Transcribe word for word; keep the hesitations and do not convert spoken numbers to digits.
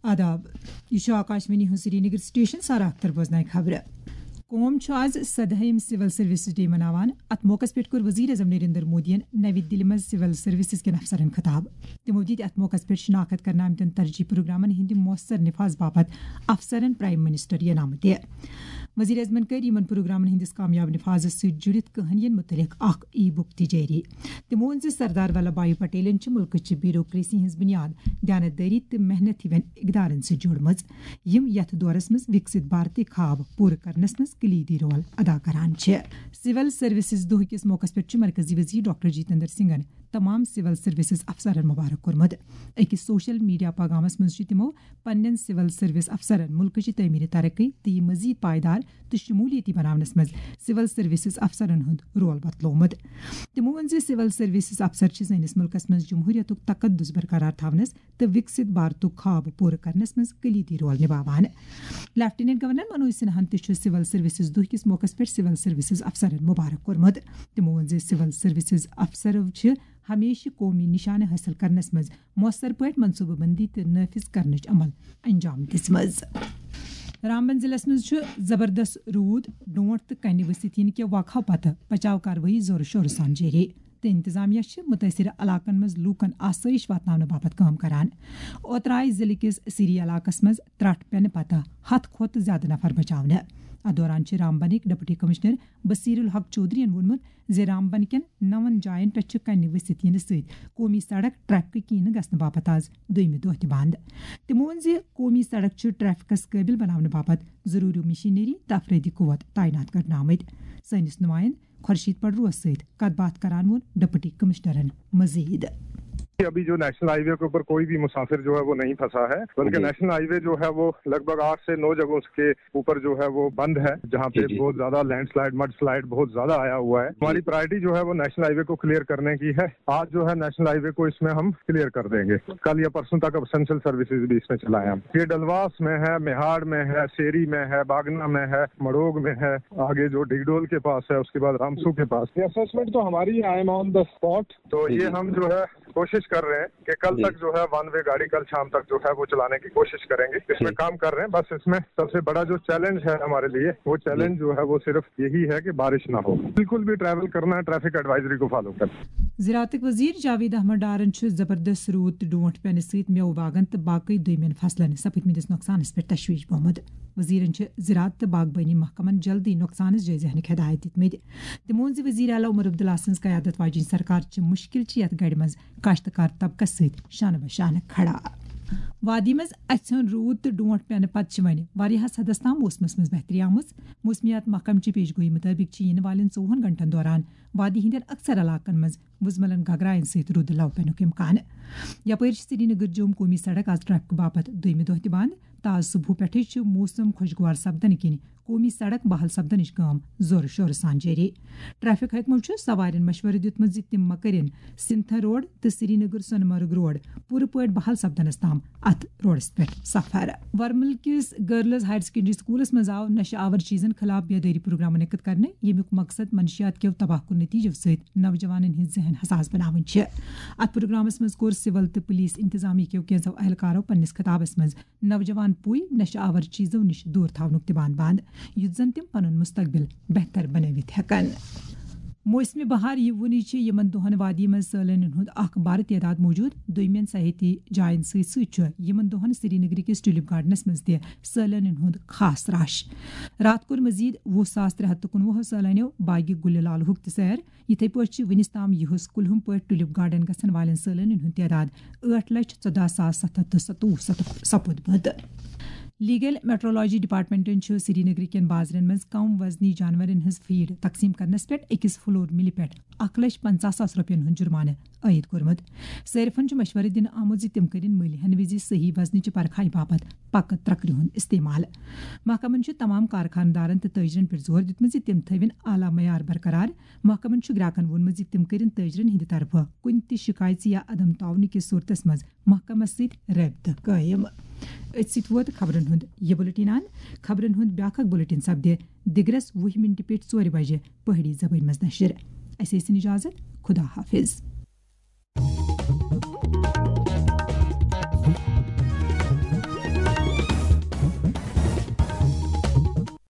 آداب، یہِ چھُ آکاشوانی ہُنٛد سرینگر سٹیشن۔ سارا اختر بوزناوِ خبرٕ۔ قوم چھُ آز سدہٲیِم سول سروسز ڈے مناوان۔ اتھ موقعس پٮ۪ٹھ کوٚر وزیر اعظم نریندر مودیَن نَوِ دِلہِ منٛز سول سروسز کٮ۪ن افسرن خطاب۔ تِمو دِتۍ اتھ موقعس پٮ۪ٹھ شناخت کرنہٕ آمتٮ۪ن ترجیحی پروگرامن ہٕنٛدِ مؤثر نفاذ باپتھ افسرن پرایم منسٹر انعامہٕ تہِ۔ وزیر اعظمن کٔر یِمن پروگرامن ہٕنٛدِس کامیاب نفاذس سۭتۍ جُڑِتھ کہنین متعلق اکھ ای بُک تہِ جٲری۔ تِمو ووٚن زِ سردار ولبھ بھائی پٹیلن چھِ مُلکٕچہِ بیوروکریسی ہٕنٛز بُنیاد دیانتدٲری تہٕ محنت ہِوٮ۪ن اقدارن سۭتۍ جوڑمٕژ، یِم یتھ دورس منٛز وِکسِت بھارتی خواب پوٗرٕ کرنس منٛز کلیدی رول ادا کران چھِ۔ سول سروسز دۄہ کِس موقعس پٮ۪ٹھ چھُ مرکزی وزیر ڈاکٹر جتیندر سنگھن تمام سول سروسز افسرن مبارک کوٚرمُت۔ أکِس سوشل میڈیا پیغامس منٛز چھِ تِمو پننٮ۪ن سول سروس افسرن مُلکٕچہِ تعمیٖری ترقی تہٕ یہِ مزید پائیدار تہٕ شمولیتی بناونس منٛز سول سروسز افسرن ہُنٛد رول بتلومُت۔ تِمو ووٚن زِ سول سروسز افسر چھِ سٲنِس مُلکس منٛز جمہوریتُک تقدس برقرار تھاونس تہٕ وِکسِت بھارتُک خواب پوٗرٕ کرنس منٛز کلیدی رول نباوان۔ لیفٹیننٹ گورنر منوج سنہاہن تہِ چھُ سول سروسز دۄہ کِس موقعس پٮ۪ٹھ سول سروسز افسرن مبارک کوٚرمُت۔ تِمو ووٚن زِ سول سروسز افسرو چھِ ہمیشہِ قومی نشانہٕ حٲصِل کرنس منٛز مؤثر پٲٹھۍ منصوٗبہٕ بندی تہٕ نافذ کرنٕچ عمل انجام دِژمٕژ۔ رامبن ضلعس منٛز چھُ زبردست روٗد، ڈونٛٹھ تہٕ کنہِ ؤسِتھ یِنہٕ کہِ واقعہٕ پتہٕ بچاو کاروٲیی زورٕ شورٕ سان جٲری، تہٕ انتظامیہ چھِ مُتٲثِرٕ علاقن منٛز لوٗکن آسٲیِش واتناونہٕ باپتھ کٲم کران۔ اوترٕ آیہِ ضلعہٕ کِس سیری علاقس منٛز ترٛٹھ پٮ۪نہٕ پتہٕ ہتھ کھۄتہٕ زیادٕ نفر بچاونہٕ۔ اتھ دوران چھِ رامبنٕکۍ ڈپٹی کمشنر بصیر الحق چودھرین ووٚنمُت زِ رامبن کٮ۪ن نَوَن جاین پٮ۪ٹھ چھِ کنہِ ؤسِتھ یِنہٕ سۭتۍ قومی سڑک ٹریفکہٕ کِنۍ گژھنہٕ باپتھ آز دوٚیمہِ دۄہ تہِ بند۔ تِمو ووٚن زِ قومی سڑک چھِ ٹریفکس قٲبِل بناونہٕ باپتھ ضروٗری مشینری تہٕ افرٲدی قوت تعینات کرنہٕ آمٕتۍ۔ سٲنِس نُمایندٕ خورشید پڑروس سۭتۍ کتھ باتھ کران ووٚن ڈپٹی کمشنرن مزید۔ अभी जो नेशनल हाईवे के ऊपर कोई भी मुसाफिर जो है वो नहीं फंसा है, बल्कि नेशनल हाईवे जो है वो लगभग आठ से नौ जगहों के ऊपर जो है वो बंद है, जहाँ पे बहुत ज्यादा लैंडस्लाइड, मड स्लाइड बहुत ज्यादा आया हुआ है। हमारी प्रायोरिटी जो है वो नेशनल हाईवे को क्लियर करने की है। आज जो है नेशनल हाईवे को इसमें हम क्लियर कर देंगे। कल या परसों तक अब एसेंशियल सर्विसेज भी इसमें चलाएं हम। ये डलवास में है, मेहाड़ में है, सेरी में है, बागना में है, मड़ोग में है, आगे जो डिगडोल के पास है, उसके बाद रामसू के पास। ये असेसमेंट तो हमारी है, I am on the spot। तो ये हम जो है कोशिश कर रहे हैं कि कल तक जो है वन वे गाड़ी कल शाम तक जो है वो चलाने की कोशिश करेंगे। इसमें काम कर रहे हैं। बस इसमें सबसे बड़ा जो चैलेंज है हमारे लिए, वो चैलेंज जो है वो सिर्फ यही है कि बारिश ना हो। बिल्कुल भी ट्रैवल करना है, ट्रैफिक एडवाइजरी को फॉलो करना। زراعتٕکۍ وزیر جاوید احمد ڈارن چھُ زبردست روٗد تہٕ ڈونٛٹھ پٮ۪نہٕ سۭتۍ مٮ۪وٕ باغن تہٕ باقٕے دوٚیمٮ۪ن فصلن سپٕدمٕتِس نۄقصانس پٮ۪ٹھ تشویش بومُت۔ وزیرن چھِ زراعت تہٕ باغبٲنی محکمن جلدی نۄقصانس جٲیزٕ ہینٕکۍ ہدایت دِتمٕتۍ۔ تِمو ووٚن زِ وزیر اعلیٰ عمر عبداللہ سٕنٛز قیادت واجیٚنۍ سرکار چھِ مُشکِل چہِ یتھ گڑِ منٛز کاشتکار طبقس سۭتۍ شانہٕ بہ شانہٕ کھڑا۔ وادی منٛز اَژھِ ہُن روٗد تہٕ ڈونٛٹھ پٮ۪نہٕ پتہٕ چھِ وۄنۍ واریاہس حدس تام موسمس منٛز بہتری آمٕژ۔ موسمیات محکمہٕ چہِ پیش گویی مُطٲبِق چھِ یِنہٕ والٮ۪ن ژوٚوُہن گھنٹن دوران وادی ہٕنٛدٮ۪ن اکثر علاقن منٛز وُزملن گگراین سۭتۍ رُد لو پینُک امکان۔ یپٲرۍ چھِ سرینگر جوم قومی سڑک آز ٹریفک باپتھ دوٚیمہِ دۄہ تہِ بند۔ تازٕ صبحہٕ پٮ۪ٹھٕے چھِ موسم خۄشگوار سپدنہٕ کِنۍ قومی سڑک بحال سپدنٕچ کٲم زورٕ شورٕ سان جٲری۔ ٹریفک حکمو چھُ سوارٮ۪ن مشورٕ دیُتمُت زِ تِم مہ کٔرِن سِنتھن روڈ تہٕ سرینگر سۄنہٕ مرگ روڈ پوٗرٕ پٲٹھۍ بحال سپدنس تام اتھ روڈس پٮ۪ٹھ سفر۔ ورمل کِس گرلز ہائر سیکنڈری سکولس منٛز آو نشہٕ آور چیزن خلاف بیدٲری پروگرام منعقد کرنہٕ، ییٚمیُک مقصد منشیات کیو تباہ کن نتیجو سۭتۍ نوجوانن ہٕنٛز ذہن حساس بناوٕنۍ چھِ۔ اتھ پروگرامس منٛز کوٚر سول تہٕ پولیس انتظامیہ کیو کینٛژو اہلکارو پننِس خطابس منٛز نوجوان پُے نشہٕ آور چیزو نِش دوٗر تھاونُک تہِ بان بند، یُتھ زن تِم پنُن مستقبل بہتر بنٲوِتھ ہٮ۪کن۔ موسمِ بہار یِوُنٕے چھِ یِمن دۄہن وادی منٛز سٲلٲنین ہُنٛد اکھ بارٕ تعداد موجود۔ دوٚیمٮ۪ن سیاحتی جاین سۭتۍ سۭتۍ چھُ یِمن دۄہن سرینگرٕ کِس ٹیولپ گارڈنس منٛز تہِ سٲلٲنین ہُنٛد خاص رش۔ راتھ کوٚر مزید وُہ ساس ترٛےٚ ہتھ تہٕ کُنوُہ سٲلٲنیو باغِ گُلہِ لالہُک تہِ سیر۔ یِتھے پٲٹھۍ چھِ وُنِس تام یِہُس کُلہُم پٲٹھۍ ٹیولپ گارڈن گژھن والٮ۪ن سٲلٲنین ہُنٛد تعداد ٲٹھ لچھ ژۄدہ ساس ستھ ہتھ تہٕ ستووُہ سپُدمُت۔ لیگل میٹرولوجی ڈپارٹمنٹن چھُ سرینگرٕ کٮ۪ن بازرن منٛز کم وزنی جانورن ہٕنٛز فیڈ تقسیم کرنس پٮ۪ٹھ أکِس فلور ملہِ پٮ۪ٹھ اکھ لچھ پنژاہ ساس رۄپین ہُنٛد جُرمانہٕ عٲید کوٚرمُت۔ صٲرفن چھُ مشورٕ دِنہٕ آمُت زِ تِم کٔرِن مٔلۍ ہٮ۪نہٕ وِزِ صحیح وزنٕچہِ پرکھایہِ باپتھ پکہٕ ترکرِ ہُنٛد استعمال۔ محکمن چھُ تمام کارخانہٕ دارن تہٕ تٲجرن پٮ۪ٹھ زور دیُتمُت زِ تِم تھٲوِن اعلیٰ معیار برقرار۔ محکمن چھُ گراکن ووٚنمُت زِ تِم کٔرِن تٲجرن ہٕنٛدِ طرفہٕ کُنہِ تہِ شکایژِ یا عدم تعاونہٕ کِس صورتس منٛز محکمس سۭتۍ رٲبطہٕ قٲیِم۔ أتھۍ سۭتۍ ووت خبرن ہُنٛد یہِ بُلٹن اند۔ خبرن ہُنٛد بیٛاکھ اکھ بُلٹن سپدِ دِگرس وُہہِ مِنٹہِ پیٚٹھۍ ژورِ بجہِ پہٲڑی زبٲنۍ منٛز نشر۔ اسہِ ٲسِن اجازت۔ خدا حافظ۔